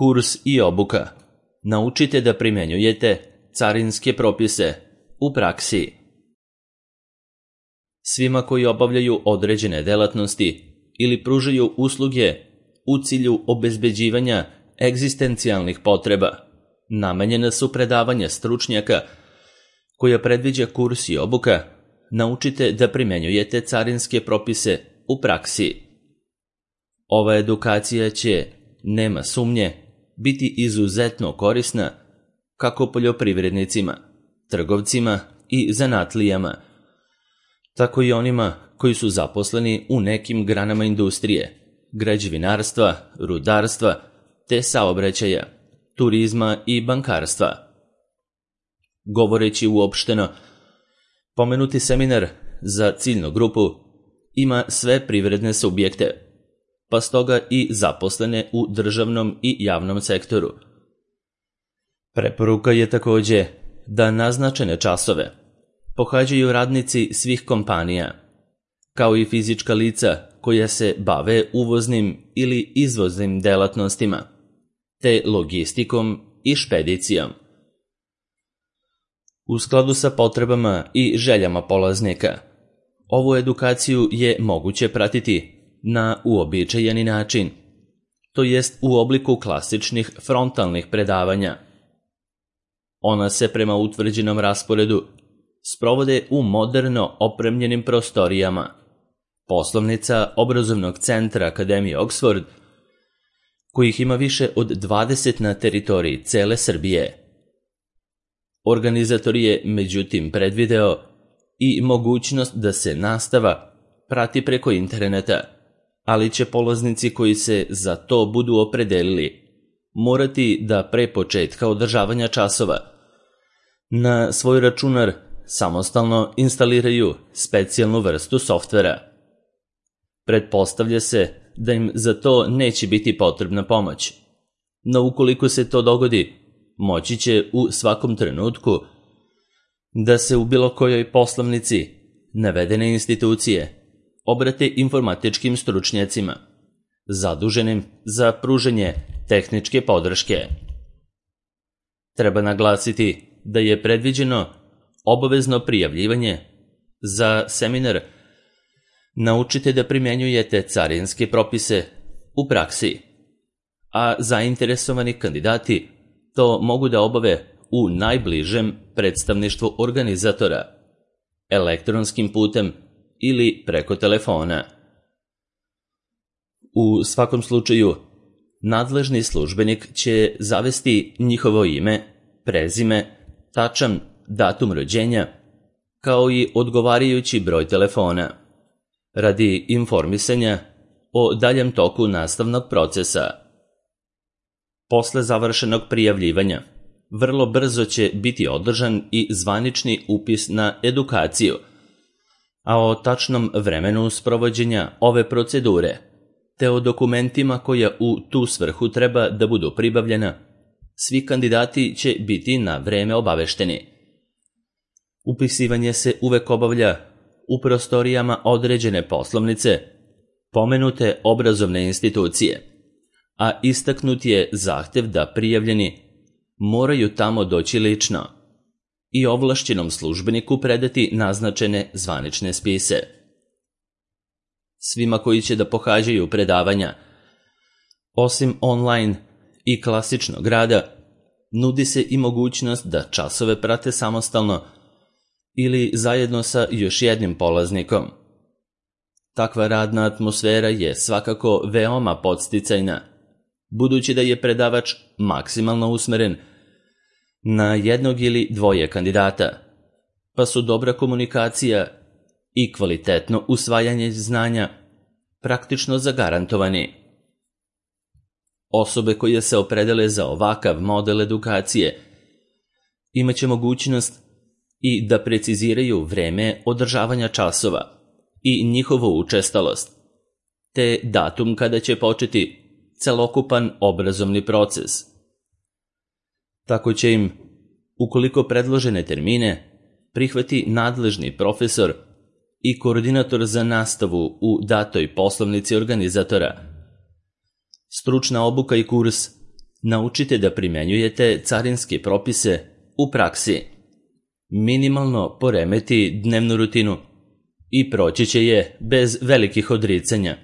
Kurs i obuka. Naučite da primjenjujete carinske propise u praksi. Svima koji obavljaju određene delatnosti ili pružaju usluge u cilju obezbeđivanja egzistencijalnih potreba, namenjena su predavanja stručnjaka koja predviđa kurs i obuka. Naučite da primjenjujete carinske propise u praksi. Ova edukacija će, nema sumnje, biti izuzetno korisna kako poljoprivrednicima, trgovcima i zanatlijama, tako i onima koji su zaposleni u nekim granama industrije, građevinarstva, rudarstva, te saobraćaja, turizma i bankarstva. Govoreći uopšteno, pomenuti seminar za ciljnu grupu ima sve privredne subjekte, pa stoga i zaposlene u državnom i javnom sektoru. Preporuka je također da naznačene časove pohađaju radnici svih kompanija, kao i fizička lica koja se bave uvoznim ili izvoznim delatnostima, te logistikom i špedicijom. U skladu sa potrebama i željama polaznika, ovu edukaciju je moguće pratiti na uobičajeni način, to jest u obliku klasičnih frontalnih predavanja. Ona se prema utvrđenom rasporedu sprovode u moderno opremljenim prostorijama poslovnica obrazovnog centra Akademije Oxford, kojih ima više od 20 na teritoriji cele Srbije. Organizator je međutim predvideo i mogućnost da se nastava prati preko interneta, ali će polaznici koji se za to budu opredelili morati da pre početka održavanja časova na svoj računar samostalno instaliraju specijalnu vrstu softvera. Pretpostavlja se da im za to neće biti potrebna pomoć, no ukoliko se to dogodi, moći će u svakom trenutku da se u bilo kojoj poslovnici navedene institucije obrate informatičkim stručnjacima, zaduženim za pružanje tehničke podrške. Treba naglasiti da je predviđeno obavezno prijavljivanje za seminar Naučite da primjenjujete carinske propise u praksi, a zainteresovani kandidati to mogu da obave u najbližem predstavništvu organizatora, elektronskim putem ili preko telefona. U svakom slučaju, nadležni službenik će zavesti njihovo ime, prezime, tačan datum rođenja, kao i odgovarajući broj telefona, radi informisanja o daljem toku nastavnog procesa. Posle završenog prijavljivanja, vrlo brzo će biti održan i zvanični upis na edukaciju, a o tačnom vremenu sprovođenja ove procedure, te o dokumentima koja u tu svrhu treba da budu pribavljena, svi kandidati će biti na vreme obavešteni. Upisivanje se uvek obavlja u prostorijama određene poslovnice, pomenute obrazovne institucije, a istaknut je zahtev da prijavljeni moraju tamo doći lično i ovlašćenom službeniku predati naznačene zvanične spise. Svima koji će da pohađaju predavanja, osim online i klasičnog rada, nudi se i mogućnost da časove prate samostalno ili zajedno sa još jednim polaznikom. Takva radna atmosfera je svakako veoma podsticajna, budući da je predavač maksimalno usmeren na jednog ili dvoje kandidata, pa su dobra komunikacija i kvalitetno usvajanje znanja praktično zagarantovani. Osobe koje se opredele za ovakav model edukacije imaće mogućnost i da preciziraju vreme održavanja časova i njihovu učestalost, te datum kada će početi celokupan obrazovni proces. Tako će im, ukoliko predložene termine prihvati nadležni profesor i koordinator za nastavu u datoj poslovnici organizatora, stručna obuka i kurs Naučite da primjenjujete carinske propise u praksi. Minimalno poremeti dnevnu rutinu i proći će je bez velikih odricanja.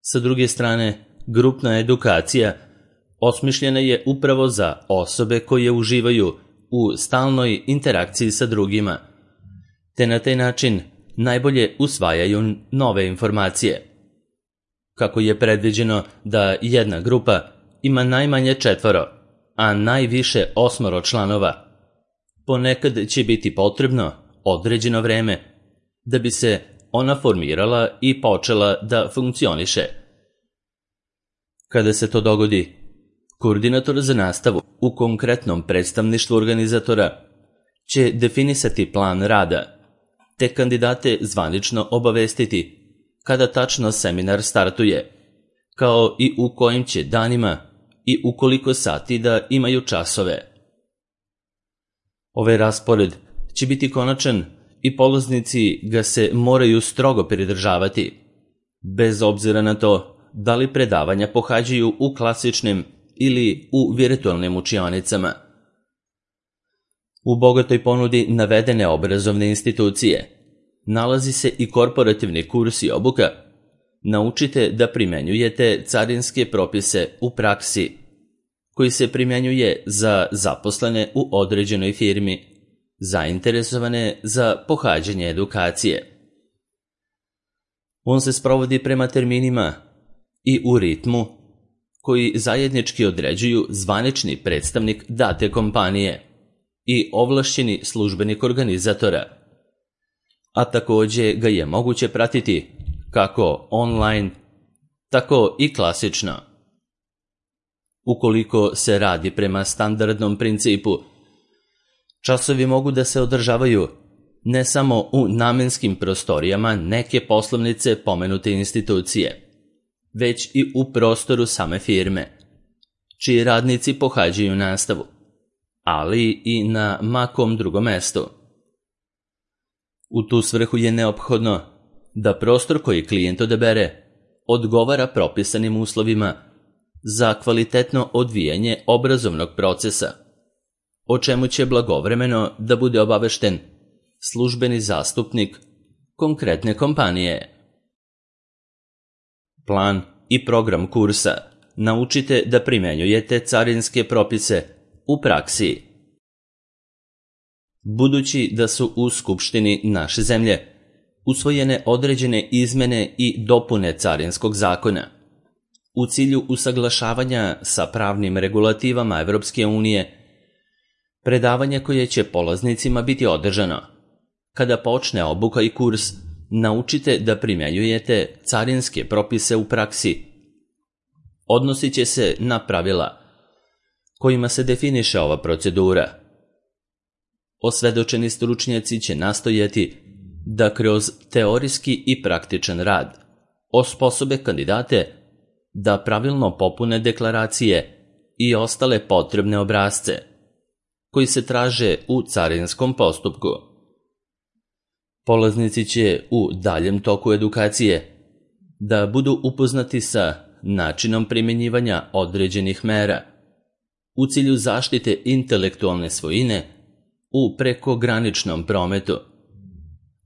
Sa druge strane, grupna edukacija osmišljena je upravo za osobe koje uživaju u stalnoj interakciji sa drugima, te na taj način najbolje usvajaju nove informacije. Kako je predviđeno da jedna grupa ima najmanje 4, a najviše 8 članova, ponekad će biti potrebno određeno vreme da bi se ona formirala i počela da funkcioniše. Kada se to dogodi, koordinator za nastavu u konkretnom predstavništvu organizatora će definisati plan rada, te kandidate zvanično obavestiti kada tačno seminar startuje, kao i u kojim će danima i u koliko sati da imaju časove. Ovaj raspored će biti konačan i polaznici ga se moraju strogo pridržavati, bez obzira na to da li predavanja pohađaju u klasičnim ili u virtualnim učionicama. U bogatoj ponudi navedene obrazovne institucije nalazi se i korporativni kurs i obuka. Naučite da primenjujete carinske propise u praksi, koji se primjenjuje za zaposlene u određenoj firmi, zainteresovane za pohađanje edukacije. On se sprovodi prema terminima i u ritmu koji zajednički određuju zvanični predstavnik date kompanije i ovlašćeni službenik organizatora, a takođe ga je moguće pratiti kako online, tako i klasično. Ukoliko se radi prema standardnom principu, časovi mogu da se održavaju ne samo u namenskim prostorijama neke poslovnice pomenute institucije, već i u prostoru same firme, čiji radnici pohađaju nastavu, ali i na makom drugom mestu. U tu svrhu je neophodno da prostor koji klijent odabere odgovara propisanim uslovima za kvalitetno odvijanje obrazovnog procesa, o čemu će blagovremeno da bude obavešten službeni zastupnik konkretne kompanije. Plan i program kursa. Naučite da primenjujete carinske propise u praksi. Budući da su u Skupštini naše zemlje usvojene određene izmene i dopune carinskog zakona, u cilju usaglašavanja sa pravnim regulativama Evropske unije, predavanje koje će polaznicima biti održano kada počne obuka i kurs, naučite da primenjujete carinske propise u praksi. Odnosit će se na pravila kojima se definiše ova procedura. Osvedočeni stručnjaci će nastojati da kroz teorijski i praktičan rad osposobe kandidate da pravilno popune deklaracije i ostale potrebne obrasce koji se traže u carinskom postupku. Polaznici će u daljem toku edukacije da budu upoznati sa načinom primjenjivanja određenih mera u cilju zaštite intelektualne svojine u prekograničnom prometu,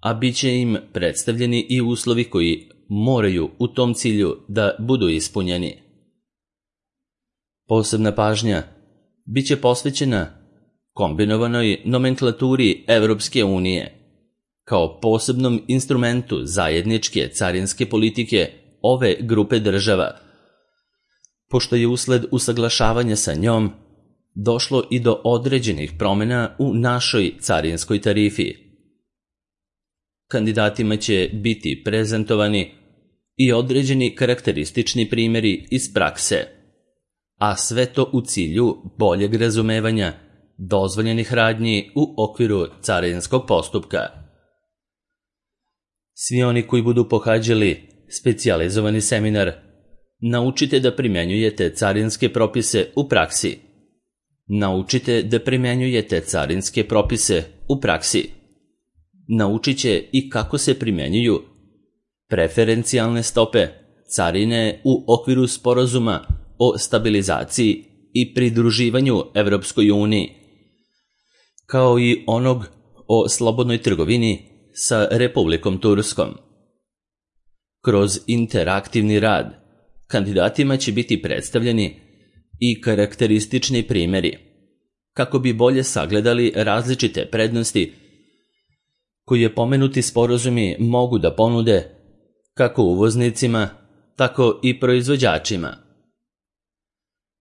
a bit će im predstavljeni i uslovi koji moraju u tom cilju da budu ispunjeni. Posebna pažnja bit će posvećena kombinovanoj nomenklaturi Evropske unije kao posebnom instrumentu zajedničke carinske politike ove grupe država, pošto je usled usaglašavanja sa njom došlo i do određenih promjena u našoj carinskoj tarifi. Kandidatima će biti prezentovani i određeni karakteristični primjeri iz prakse, a sve to u cilju boljeg razumevanja dozvoljenih radnji u okviru carinskog postupka. Svi oni koji budu pohađali specijalizovani seminar, naučite da primenjujete carinske propise u praksi. Naučite da primenjujete carinske propise u praksi. Naučit će i kako se primenjuju preferencijalne stope carine u okviru sporazuma o stabilizaciji i pridruživanju Evropskoj uniji, kao i onog o slobodnoj trgovini sa Republikom Turskom. Kroz interaktivni rad kandidatima će biti predstavljeni i karakteristični primjeri, kako bi bolje sagledali različite prednosti koje pomenuti sporazumi mogu da ponude kako uvoznicima, tako i proizvođačima.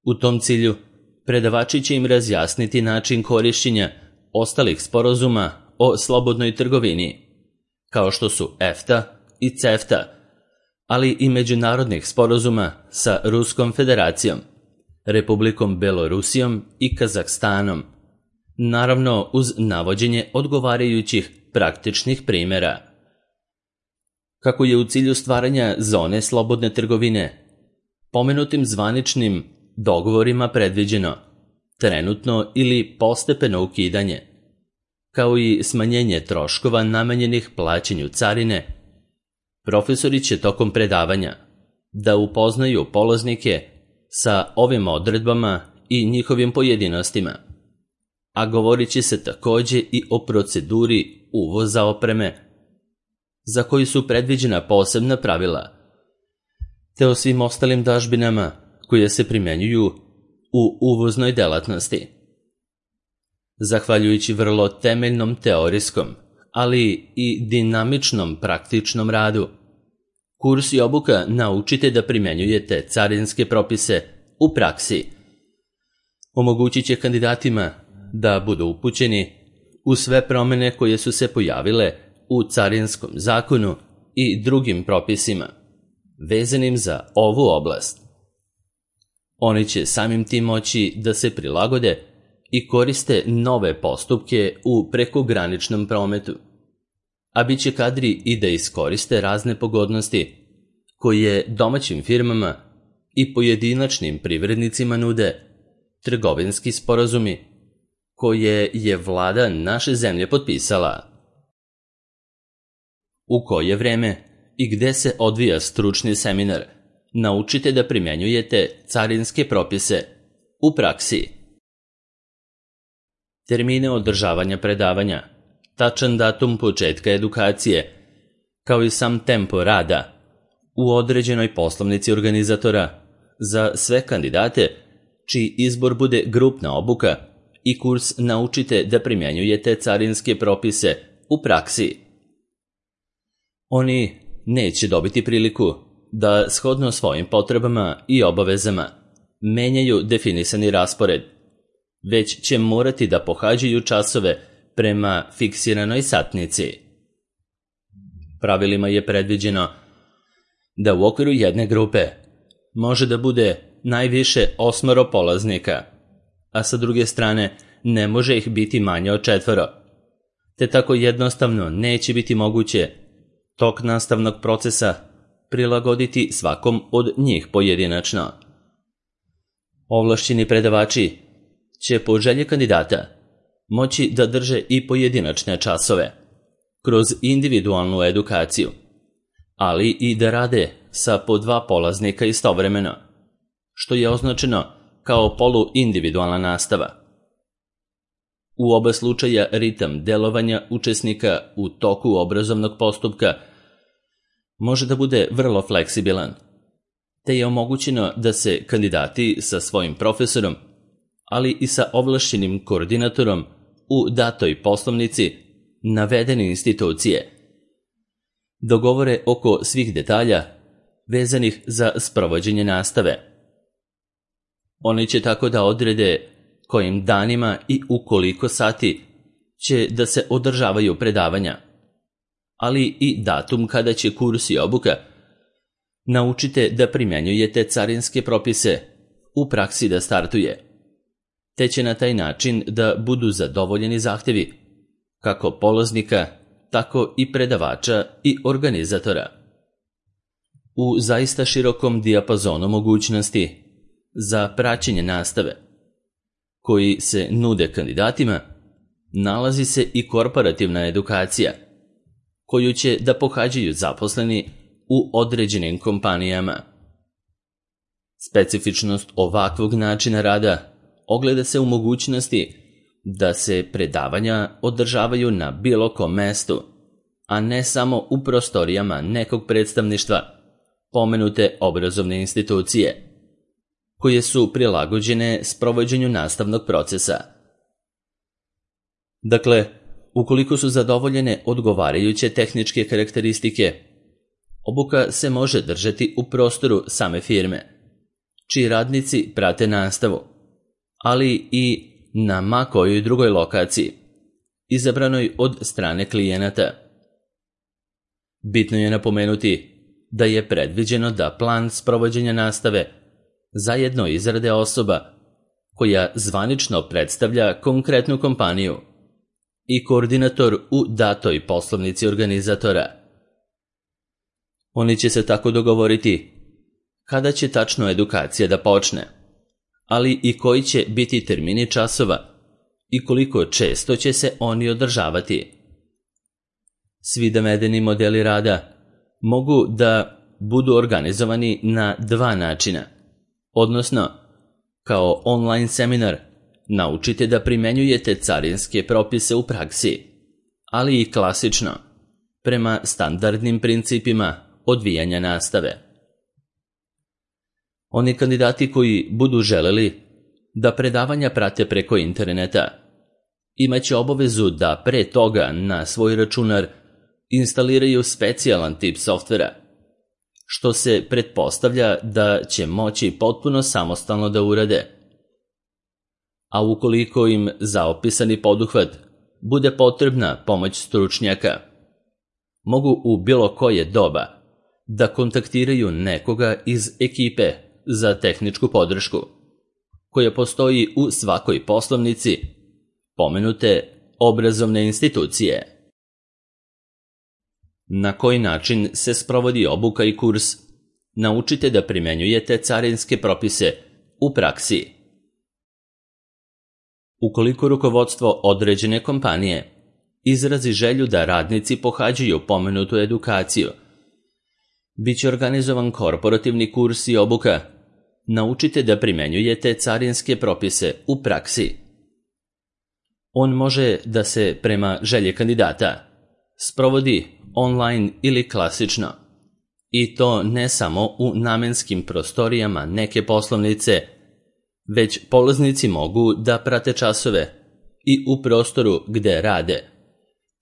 U tom cilju, predavači će im razjasniti način korišćenja ostalih sporazuma o slobodnoj trgovini, kao što su EFTA i CEFTA, ali i međunarodnih sporazuma sa Ruskom federacijom, Republikom Belorusijom i Kazahstanom, naravno uz navođenje odgovarajućih praktičnih primjera. Kako je u cilju stvaranja zone slobodne trgovine pomenutim zvaničnim dogovorima predviđeno trenutno ili postepeno ukidanje, kao i smanjenje troškova namenjenih plaćanju carine, profesori će tokom predavanja da upoznaju polaznike sa ovim odredbama i njihovim pojedinostima, a govorit će se također i o proceduri uvoza opreme, za koju su predviđena posebna pravila, te o svim ostalim dažbinama koje se primjenjuju u uvoznoj delatnosti. Zahvaljujući vrlo temeljnom teorijskom, ali i dinamičnom praktičnom radu, kurs i obuka naučite da primjenjujete carinske propise u praksi. Omogućit će kandidatima da budu upućeni u sve promjene koje su se pojavile u carinskom zakonu i drugim propisima vezanim za ovu oblast. Oni će samim tim moći da se prilagode i koriste nove postupke u prekograničnom prometu, a bit će kadri i da iskoriste razne pogodnosti koje domaćim firmama i pojedinačnim privrednicima nude trgovinski sporazumi koje je vlada naše zemlje potpisala. U koje vreme i gde se odvija stručni seminar, naučite da primjenjujete carinske propise u praksi. Termine održavanja predavanja, tačan datum početka edukacije, kao i sam tempo rada u određenoj poslovnici organizatora za sve kandidate čiji izbor bude grupna obuka i kurs naučite da primjenjujete carinske propise u praksi. Oni neće dobiti priliku da shodno svojim potrebama i obavezama menjaju definisani raspored, već će morati da pohađaju časove prema fiksiranoj satnici. Pravilima je predviđeno da u okviru jedne grupe može da bude najviše 8 polaznika, a sa druge strane ne može ih biti manje od 4, te tako jednostavno neće biti moguće tok nastavnog procesa prilagoditi svakom od njih pojedinačno. Ovlašćeni predavači će po želji kandidata moći da drže i pojedinačne časove kroz individualnu edukaciju, ali i da rade sa po 2 polaznika istovremeno, što je označeno kao poluindividualna nastava. U oba slučaja ritam delovanja učesnika u toku obrazovnog postupka može da bude vrlo fleksibilan, te je omogućeno da se kandidati sa svojim profesorom, ali i sa ovlašćenim koordinatorom u datoj poslovnici navedene institucije dogovore oko svih detalja vezanih za sprovođenje nastave. Oni će tako da odrede kojim danima i u koliko sati će da se održavaju predavanja, ali i datum kada će kurs i obuka. Naučite da primjenjujete carinske propise u praksi da startuje, te će na taj način da budu zadovoljeni zahtevi kako polaznika, tako i predavača i organizatora. U zaista širokom dijapazonu mogućnosti za praćenje nastave koji se nude kandidatima nalazi se i korporativna edukacija koju će da pohađaju zaposleni u određenim kompanijama. Specifičnost ovakvog načina rada ogleda se u mogućnosti da se predavanja održavaju na bilo kom mestu, a ne samo u prostorijama nekog predstavništva pomenute obrazovne institucije, koje su prilagođene sprovođenju nastavnog procesa. Dakle, ukoliko su zadovoljene odgovarajuće tehničke karakteristike, obuka se može držati u prostoru same firme, čiji radnici prate nastavu, ali i na ma kojoj drugoj lokaciji, izabranoj od strane klijenata. Bitno je napomenuti da je predviđeno da plan sprovođenja nastave zajedno izrade osoba koja zvanično predstavlja konkretnu kompaniju i koordinator u datoj poslovnici organizatora. Oni će se tako dogovoriti kada će tačno edukacija da počne, ali i koji će biti termini časova i koliko često će se oni održavati. Svi navedeni modeli rada mogu da budu organizovani na dva načina, odnosno kao online seminar naučite da primenjujete carinske propise u praksi, ali i klasično, prema standardnim principima odvijanja nastave. Oni kandidati koji budu želeli da predavanja prate preko interneta imaće obavezu da pre toga na svoj računar instaliraju specijalan tip softvera, što se pretpostavlja da će moći potpuno samostalno da urade. A ukoliko im za opisani poduhvat bude potrebna pomoć stručnjaka, mogu u bilo koje doba da kontaktiraju nekoga iz ekipe za tehničku podršku, koja postoji u svakoj poslovnici pomenute obrazovne institucije. Na koji način se sprovodi obuka i kurs? Naučite da primenjujete carinske propise u praksi. Ukoliko rukovodstvo određene kompanije izrazi želju da radnici pohađaju pomenutu edukaciju, biće organizovan korporativni kurs i obuka. Naučite da primenjujete carinske propise u praksi. On može da se prema želji kandidata sprovodi online ili klasično, i to ne samo u namenskim prostorijama neke poslovnice, već polaznici mogu da prate časove i u prostoru gde rade,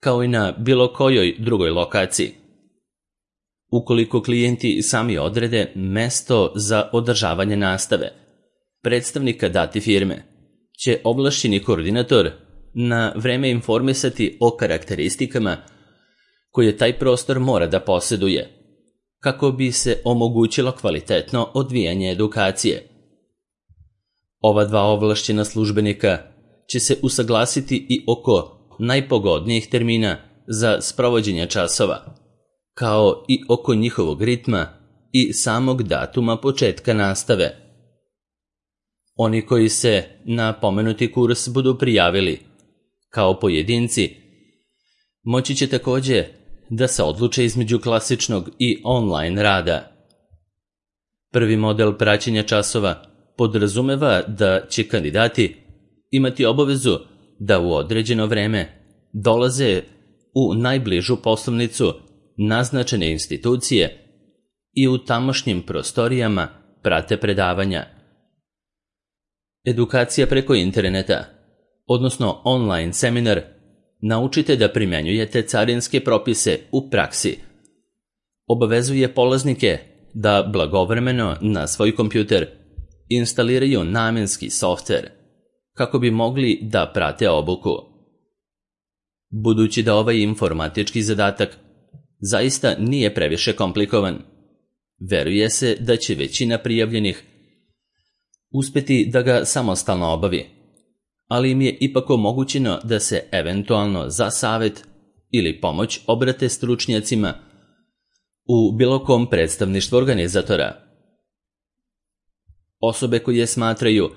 kao i na bilo kojoj drugoj lokaciji. Ukoliko klijenti sami odrede mesto za održavanje nastave, predstavnika date firme će ovlašćeni koordinator na vreme informisati o karakteristikama koje taj prostor mora da poseduje, kako bi se omogućilo kvalitetno odvijanje edukacije. Ova dva ovlašćena službenika će se usaglasiti i oko najpogodnijih termina za sprovođenje časova, kao i oko njihovog ritma i samog datuma početka nastave. Oni koji se na pomenuti kurs budu prijavili kao pojedinci, moći će takođe da se odluče između klasičnog i online rada. Prvi model praćenja časova podrazumeva da će kandidati imati obavezu da u određeno vreme dolaze u najbližu poslovnicu naznačene institucije i u tamošnjim prostorijama prate predavanja. Edukacija preko interneta, odnosno online seminar, naučite da primenjujete carinske propise u praksi. Obavezuje polaznike da blagovremeno na svoj kompjuter instaliraju namenski softver kako bi mogli da prate obuku. Budući da ovaj informatički zadatak zaista nije previše komplikovan, veruje se da će većina prijavljenih uspeti da ga samostalno obavi, ali im je ipak omogućeno da se eventualno za savet ili pomoć obrate stručnjacima u bilo kom predstavništvu organizatora. Osobe koje smatraju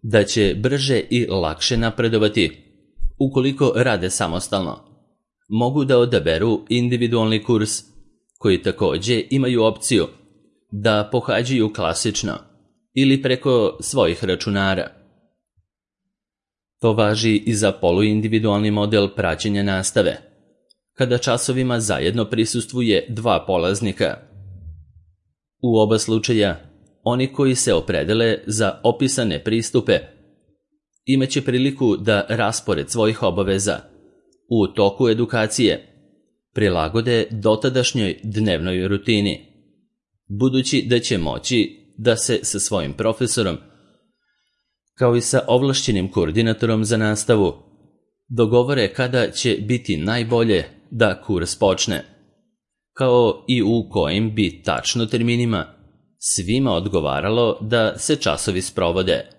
da će brže i lakše napredovati ukoliko rade samostalno, mogu da odaberu individualni kurs, koji takođe imaju opciju da pohađaju klasično ili preko svojih računara. To važi i za poluindividualni model praćenja nastave, kada časovima zajedno prisustvuje 2 polaznika. U oba slučaja, oni koji se opredele za opisane pristupe imaće priliku da raspored svojih obaveza u toku edukacije prilagode dotadašnjoj dnevnoj rutini, budući da će moći da se sa svojim profesorom, kao i sa ovlašćenim koordinatorom za nastavu, dogovore kada će biti najbolje da kurs počne, kao i u kojim bi tačno terminima svima odgovaralo da se časovi sprovode.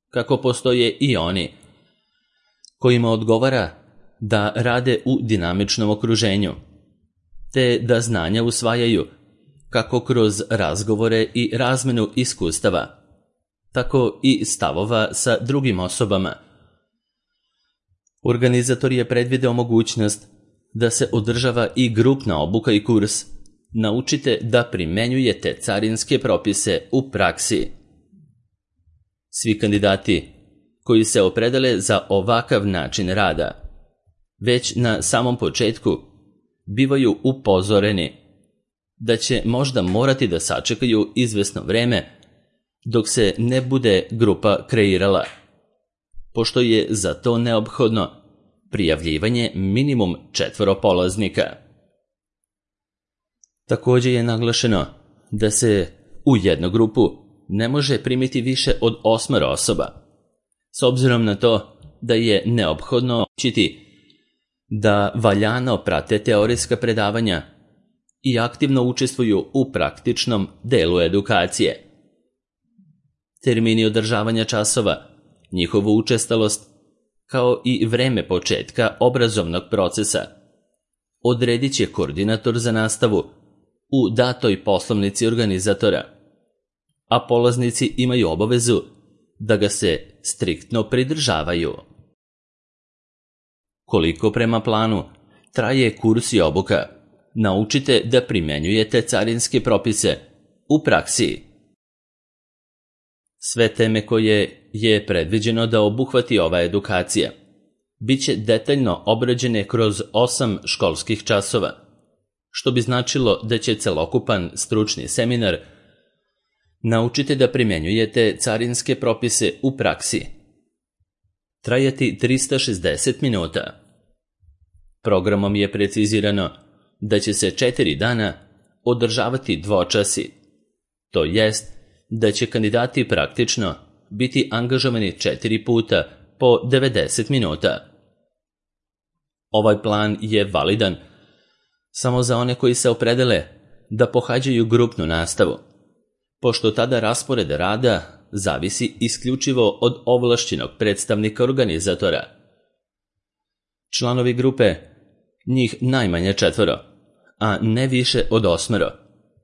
Kako postoje i oni kojima odgovara da rade u dinamičnom okruženju, te da znanja usvajaju kako kroz razgovore i razmenu iskustava, tako i stavova sa drugim osobama. Organizator je predvideo mogućnost da se održava i grupna obuka i kurs Naučite da primenjujete carinske propise u praksi. Svi kandidati koji se opredele za ovakav način rada već na samom početku bivaju upozoreni da će možda morati da sačekaju izvesno vreme dok se ne bude grupa kreirala, pošto je za to neophodno prijavljivanje minimum 4 polaznika. Također je naglašeno da se u jednu grupu ne može primiti više od 8 osoba, s obzirom na to da je neophodno učiti da valjano prate teorijska predavanja i aktivno učestvuju u praktičnom delu edukacije. Termini održavanja časova, njihovu učestalost, kao i vreme početka obrazovnog procesa odredit će koordinator za nastavu u datoj poslovnici organizatora, a polaznici imaju obavezu da ga se striktno pridržavaju. Koliko prema planu traje kurs i obuka, naučite da primenjujete carinske propise u praksi. Sve teme koje je predviđeno da obuhvati ova edukacija biće detaljno obrađene kroz 8 školskih časova, što bi značilo da će celokupan stručni seminar Naučite da primenjujete carinske propise u praksi trajati 360 minuta. Programom je precizirano da će se 4 dana održavati dvočasi, to jest da će kandidati praktično biti angažovani 4 puta po 90 minuta. Ovaj plan je validan samo za one koji se opredele da pohađaju grupnu nastavu, pošto tada raspored rada zavisi isključivo od ovlašćenog predstavnika organizatora. Članovi grupe, njih najmanje 4, a ne više od 8,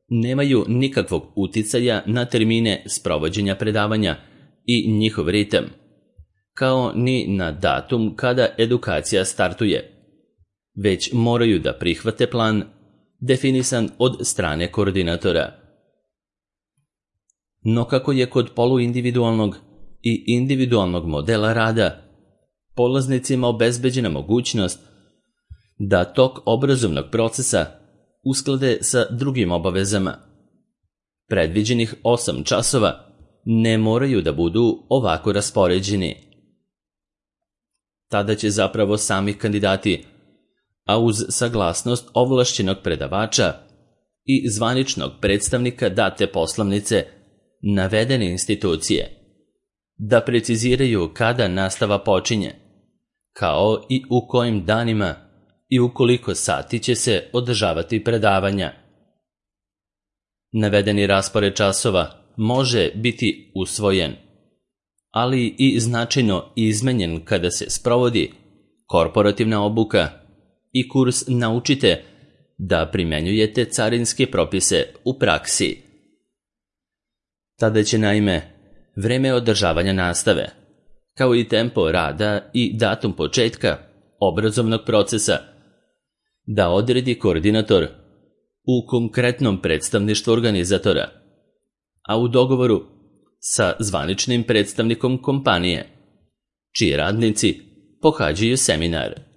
nemaju nikakvog uticaja na termine sprovođenja predavanja i njihov ritam, kao ni na datum kada edukacija startuje, već moraju da prihvate plan definisan od strane koordinatora. No kako je kod poluindividualnog i individualnog modela rada polaznicima obezbeđena mogućnost da tok obrazovnog procesa usklade sa drugim obavezama, predviđenih 8 časova ne moraju da budu ovako raspoređeni. Tada će zapravo sami kandidati, a uz saglasnost ovlašćenog predavača i zvaničnog predstavnika date poslovnice navedene institucije, da preciziraju kada nastava počinje, kao i u kojim danima i u koliko sati će se održavati predavanja. Navedeni raspored časova može biti usvojen, ali i značajno izmenjen kada se sprovodi korporativna obuka i kurs Naučite da primenjujete carinske propise u praksi. Tada će naime vreme održavanja nastave, kao i tempo rada i datum početka obrazovnog procesa, da odredi koordinator u konkretnom predstavništvu organizatora, a u dogovoru sa zvaničnim predstavnikom kompanije, čiji radnici pohađaju seminar.